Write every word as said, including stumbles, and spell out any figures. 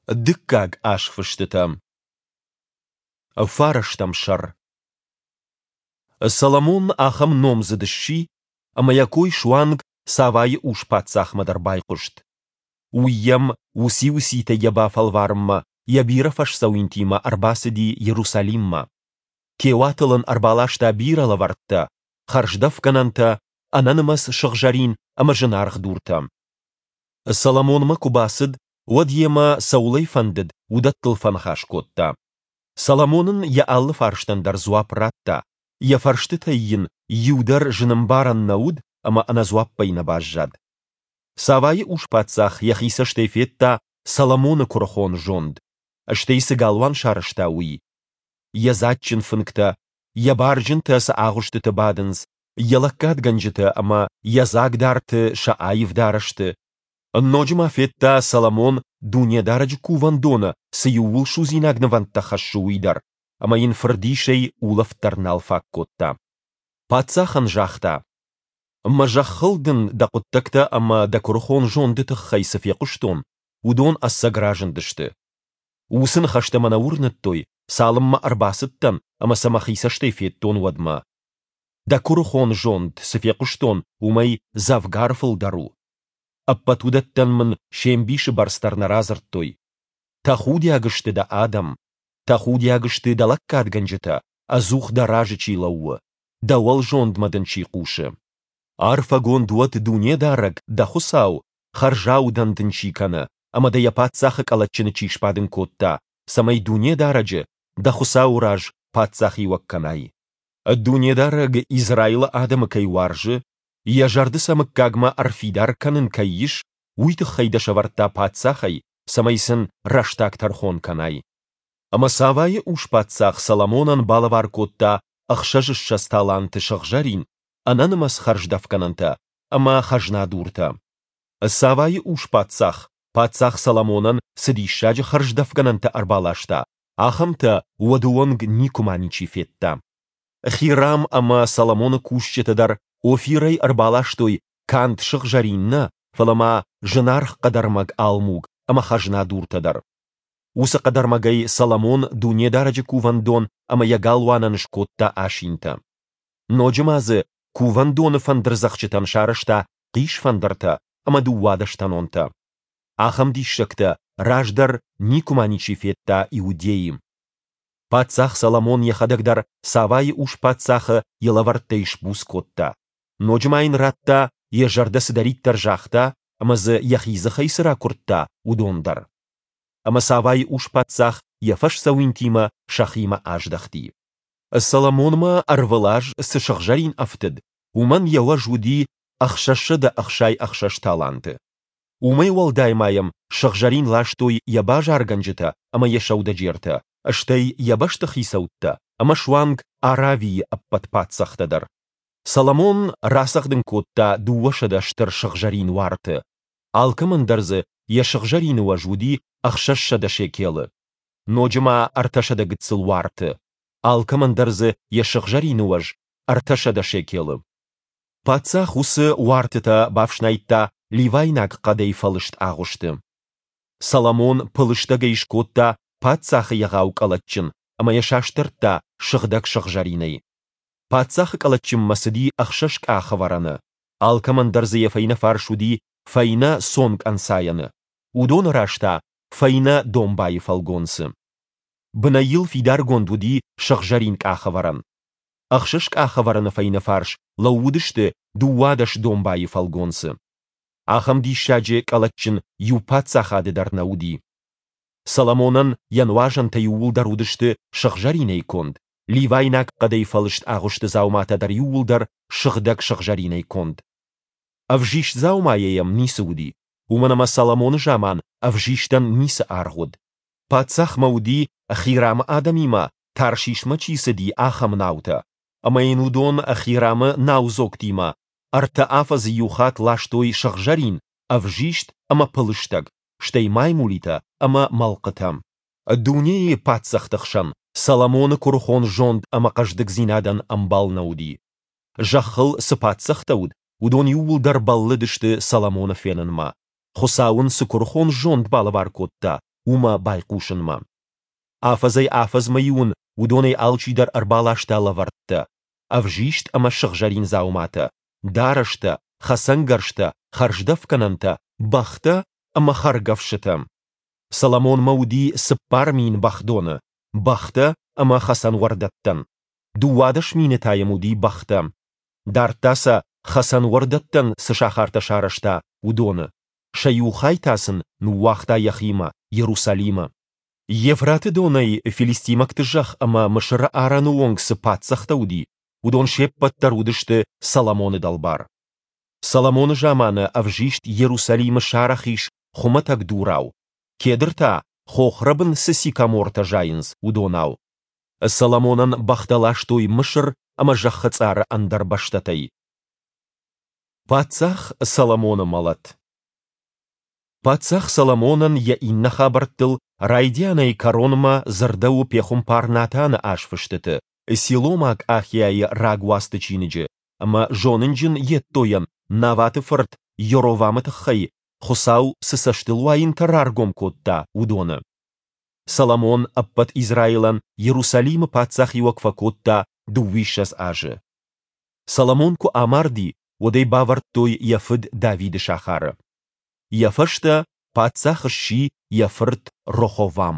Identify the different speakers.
Speaker 1: Дыккаг азфыстытӕ. Фарӕстӕм сӕр. Соломон ахӕм номдзыд сси, ӕмӕ йӕ кой суанг Савайы ус-паддзахмӕ дӕр байхъуыст. Уый йӕм уыци-уыцитӕй йӕ бафӕлварынмӕ йӕ бирӕ фӕсдзӕуинтимӕ ӕрбацыди Иерусалиммӕ. Теуатыл ын ӕрбаласта бирӕ лӕвӕрттӕ, хӕрздӕфгӕнӕнтӕ, ӕнӕнымӕц сыгъзӕрин ӕмӕ зынаргъ дуртӕ. Соломонмӕ куы бацыд, уӕд йемӕ, цӕуыл ӕй фӕндыд, уыдӕттыл фӕныхас кодта. Соломон ын йӕ алы фарстӕн дӕр дзуапп радта, йӕ фӕрстытӕй йын иу дӕр зынӕмбарӕн нӕ уыд ӕмӕ ӕнӕдзуаппӕй нӕ баззад. Савайы ус-паддзах йӕхи цӕстӕй федта Соломоны куырыхон зонд, стӕй цы галуан сарӕзта, уый. Йӕ дзаджджын фынгтӕ, йӕ барджынтӕ цы агъуыстыты бадынц, йӕ лӕггадгӕнджытӕ ӕмӕ йӕ дзагдарты сӕ аив дарӕсты. Ноджы ма федта, Соломон Дунедарӕджы Кувӕндоны цы иууылсудзинаг нывӕндтӕ хӕссы, уый дӕр, ӕмӕ йын фырдисӕй улӕфт дӕр нал фаг кодта. Паддзахӕн загъта: «Мӕ зӕххыл дын дӕ хъуыддӕгтӕ ӕмӕ дӕ куырыхон зонды тыххӕй цы фехъуыстон, уыдон ӕцӕг разындысты. Уыцы ныхӕстӕ мӕ нӕ уырныдтой, цалынмӕ ӕрбацыдтӕн ӕмӕ сӕ мӕхи цӕстӕй федтон, уӕдмӕ. Дӕ куырыхон зонд, цы фехъуыстон, уымӕй дзӕвгар фылдӕр у. Ӕппӕт уыдӕттӕн мын се мбисы бӕрц дӕр нӕ радзырдтой. Тӕхудиаг сты дӕ адӕм, тӕхудиаг сты дӕ лӕггадгӕнджытӕ, ӕдзух дӕ разы чи лӕууы, дӕ уӕлзондмӕ дын чи хъусы. Арфӕгонд уӕд Дунедарӕг, дӕ Хуыцау, хӕрзаудӕн дын чи кӕны ӕмӕ дӕ йӕ паддзахы къӕлӕтджыны чи сбадын кодта, цӕмӕй Дунедарӕджы, дӕ Хуыцауы раз, паддзахиуӕг кӕнай. Дунедарӕг Израилы адӕмы кӕй уарзы, йӕ зӕрды сӕ мыггагмӕ ӕрфидар кӕнын кӕй ис, уый тыххӕй дӕ сӕвӕрдта паддзахӕй, цӕмӕй сын рӕстаг тӕрхон кӕнай. Ӕмӕ Савайы ус-паддзах Соломонӕн балӕвар кодта ӕхсӕзыссӕдз таланты сыгъзӕрин, ӕнӕнымӕц хӕрздӕфгӕнӕнтӕ ӕмӕ хӕзнадуртӕ. Савайы ус-паддзах паддзах Соломонӕн цы диссаджы хӕрздӕфгӕнӕнтӕ ӕрбаласта, ахӕмтӕ уӕды онг никуыма ничи федта. Хирам ӕмӕ Соломоны кусджытӕ дӕр Офирӕй ӕрбаластой канд сыгъзӕрин нӕ, фӕлӕ ма зынаргъ хъӕдӕрмӕг алмуг ӕмӕ хӕзнадуртӕ дӕр. Уыцы хъӕдӕрмӕгӕй Соломон Дунедарӕджы кувӕндон ӕмӕ йӕ галуанӕн скодта асинтӕ. Ноджы ма дзы кувӕндоны фӕндырдзӕгъдджытӕн сарӕзта хъисфӕндыртӕ ӕмӕ дыууадӕстӕнонтӕ. Ахӕм диссӕгтӕ раздӕр никуыма ничи федта Иудейы. Паддзах Соломон йӕхӕдӕг дӕр Савайы ус-паддзахы йӕ лӕвӕрттӕй сбуц кодта. Ноджы ма йын радта, йӕ зӕрдӕ цыдӕриддӕр загъта ӕмӕ дзы йӕхи дзыхӕй цы ракуырдта, уыдон дӕр. Ӕмӕ Савайы ус-паддзах йӕ фӕсдзӕуинтимӕ сӕхимӕ аздӕхти. Соломонмӕ ӕрвылаз цы сыгъзӕрин ӕфтыд, уымӕн йӕ уӕз уыди ӕхсӕзсӕдӕ ӕхсай ӕхсӕз таланты. Уымӕй уӕлдай ма йӕм сыгъзӕрин ластой йӕ базаргӕнджытӕ ӕмӕ йӕ сӕудӕджертӕ, стӕй йӕ бӕстыхицӕуттӕ ӕмӕ суанг Аравийы ӕппӕт паддзӕхтӕ дӕр. Соломон рацӕгъдын кодта дыууӕсӕдӕ стыр сыгъзӕрин уарты. Алкӕмӕн дӕр дзы йӕ сыгъзӕрины уӕз уыди ӕхсӕзсӕдӕ шекелы. Ноджы ма ӕртӕсӕдӕ гыццыл уарты. Алкӕмӕн дӕр дзы йӕ сыгъзӕрины уӕз ӕртӕсӕдӕ шекелы. Паддзах уыцы уартытӕ бафснайдта ливайнаг хъӕдӕй фӕлыст агъуысты. Соломон пылыстӕгӕй скодта паддзахы егъау къӕлӕтджын ӕмӕ йӕ састӕрдта сыгъдӕг сыгъзӕринӕй. Паддзахы къӕлӕтджынмӕ цыди ӕхсӕз къахӕвӕрӕны, алкӕмӕн дӕр дзы йӕ фӕйнӕ фарс уыди фӕйнӕ цонг ӕнцайӕны, уыдоны раз та фӕйнӕ домбайы фӕлгонцы. Бынӕй йыл фидаргонд уыди сыгъзӕрин къахӕвӕрӕн. Ӕхсӕз къахӕвӕрӕны фӕйнӕ фарс лӕууыдысты дыууадӕс домбайы фӕлгонцы. Ахӕм диссаджы къӕлӕтджын иу паддзахады дӕр нӕ уыди. Соломонӕн йӕ нуазӕнтӕ иууылдӕр уыдысты сыгъзӕринӕй конд, ливайнаг хъӕдӕй фӕлыст агъуысты дзауматӕ дӕр иууылдӕр сыгъдӕг сыгъзӕринӕй конд. Ӕвзист дзаумайӕ йӕм ницы уыди, уымӕн ӕмӕ Соломоны заман ӕвзистӕн ницы аргъ уыд. Паддзахмӕ уыди, Хирамы адӕмимӕ Таршишмӕ чи цыди, ахӕм наутӕ, ӕмӕ йын уыдон Хирамы наудзогтимӕ ӕртӕ афӕдзы иу хатт ластой сыгъзӕрин, ӕвзист ӕмӕ пылыстӕг, стӕй маймулитӕ ӕмӕ мӕлхъытӕ. Дунейы паддзӕхты хсӕн Соломоны куырыхон зонд ӕмӕ хъӕздыгдзинадӕн ӕмбал нӕ уыди. Зӕххыл цы паддзӕхтӕ уыд, уыдон иууылдӕр бӕллыдысты Соломоны фенынмӕ, Хуыцау ын цы куырыхон зонд балӕвар кодта, уымӕ байхъусынмӕ. Афӕдзӕй-афӕдзмӕ-иу ын уыдонӕй алчидӕр ӕрбаласта лӕвӕрттӕ, ӕвзист ӕмӕ сыгъзӕрин дзауматӕ, дарӕстӕ, хӕцӕнгӕрзтӕ, хӕрздӕфгӕнӕнтӕ, бӕхтӕ ӕмӕ хӕргӕфсытӕ. Соломонмӕ уыди цыппар мин бӕхдоны, бӕхтӕ ӕмӕ хӕцӕнуӕрдӕттӕн. Дыууадӕс мины та йӕм уыди бӕхтӕ. Дардта сӕ, хӕцӕнуӕрдӕттӕн цы сахартӕ сарӕзта, уыдоны. Сӕ иу хай та сын ныууагъта йӕхимӕ, Иерусалимы. Евфраты донӕй филистимӕгты зӕхх ӕмӕ Мысыры арӕны онг цы паддзӕхтӕ уыди, уыдон се ппӕт дӕр уыдысты Соломоны дӕлбар. Соломоны заманы ӕвзист Иерусалимы сарӕх ис хуымӕтӕг дурау, кедр та, хохрӕбын цы сикомортӕ зайынц, уыдонау. Соломонӕн бӕхтӕ ластой Мысыр ӕмӕ зӕххы цъары ӕндӕр бӕстӕтӕй. Паддзах Соломоны мӕлӕт. Паддзах Соломонӕн йӕ иннӕ хабӕрттыл райдианӕй кӕронмӕ дзырдӕуы пехуымпар Натаны азфыстыты, силомаг Ахиайы рагуацты чиныджы ӕмӕ зонынджын Иддойӕн Наваты фырт Йоровамы тыххӕй Хуыцау цы цӕстылуайӕнтӕ раргом кодта, уыдоны. Соломон ӕппӕт Израилӕн Иерусалимы паддзахиуӕг фӕкодта дыууиссӕдз азы. Соломон куы амарди, уӕд ӕй бавӕрдтой йӕ фыд Давиды сахары. Йӕ фӕстӕ паддзах сси йӕ фырт Роховам.